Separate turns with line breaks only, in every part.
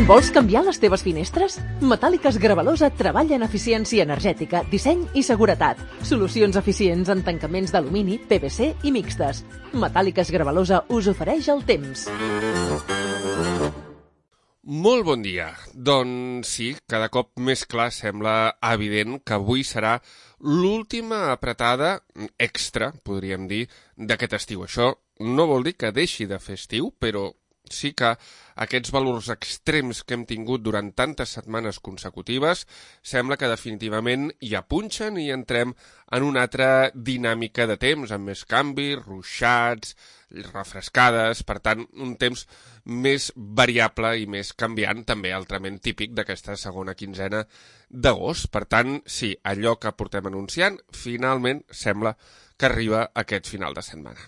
Vols canviar les teves finestres? Metàl·liques Gravalosa treballa en eficiència energètica, disseny i seguretat. Solucions eficients en tancaments d'alumini, PVC i mixtes. Metàl·liques Gravalosa us ofereix el temps.
Molt bon dia. Doncs sí, cada cop més clar sembla evident que avui serà l'última apretada extra, podríem dir, d'aquest estiu. Això no vol dir que deixi de fer estiu, però sí que aquests valors extrems que hem tingut durant tantes setmanes consecutives sembla que definitivament hi apunxen i entrem en una altra dinàmica de temps, amb més canvis, ruixats, refrescades, per tant, un temps més variable i més canviant, també altrament típic d'aquesta segona quinzena d'agost. Per tant, sí, allò que portem anunciant, finalment sembla que arriba aquest final de setmana.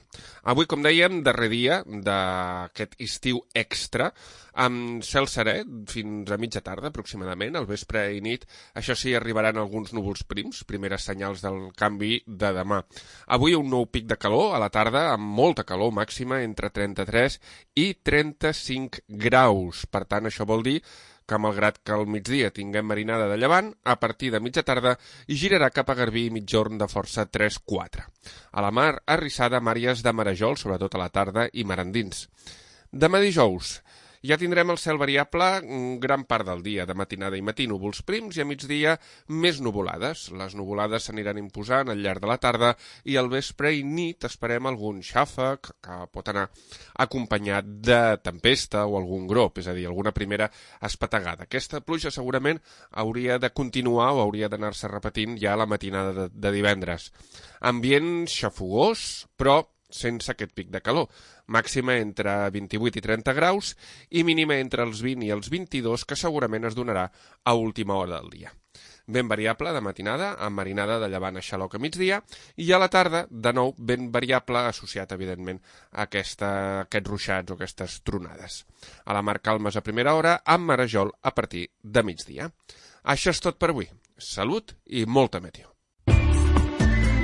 Avui, com dèiem, darrer dia d'aquest estiu extra, amb cel serè fins a mitja tarda, aproximadament, al vespre i nit. Això sí, arribaran alguns núvols prims, primeres senyals del canvi de demà. Avui un nou pic de calor a la tarda, amb molta calor màxima, entre 33 i 35 graus. Per tant, això vol dir que malgrat que al migdia tinguem marinada de llevant, a partir de mitja tarda girarà cap a Garbí i mitjorn de força 3-4. A la mar, arrissada, màries de marejol, sobretot a la tarda, i mar endins. Demà dijous ja tindrem el cel variable gran part del dia, de matinada i matí núvols prims i a migdia més nuvolades. Les nuvolades s'aniran imposant al llarg de la tarda i al vespre i nit esperem algun xàfec que pot anar acompanyat de tempesta o algun grop, és a dir, alguna primera espategada. Aquesta pluja segurament hauria de continuar o hauria d'anar-se repetint ja a la matinada de divendres. Ambient xafogós, però sense aquest pic de calor. Màxima entre 28 i 30 graus i mínima entre els 20 i els 22, que segurament es donarà a última hora del dia. Ben variable de matinada, amb marinada de llevant a xaloc a migdia, i a la tarda, de nou, ben variable, associat, evidentment, a aquests ruixats o aquestes tronades. A la mar calmes a primera hora, amb marejol a partir de migdia. Això és tot per avui. Salut i molta meteo.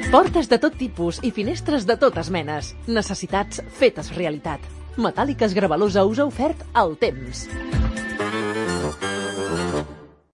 Portes de tot tipus i finestres de totes menes. Necessitats fetes realitat. Metàl·liques Gravalosa us ha ofert el temps.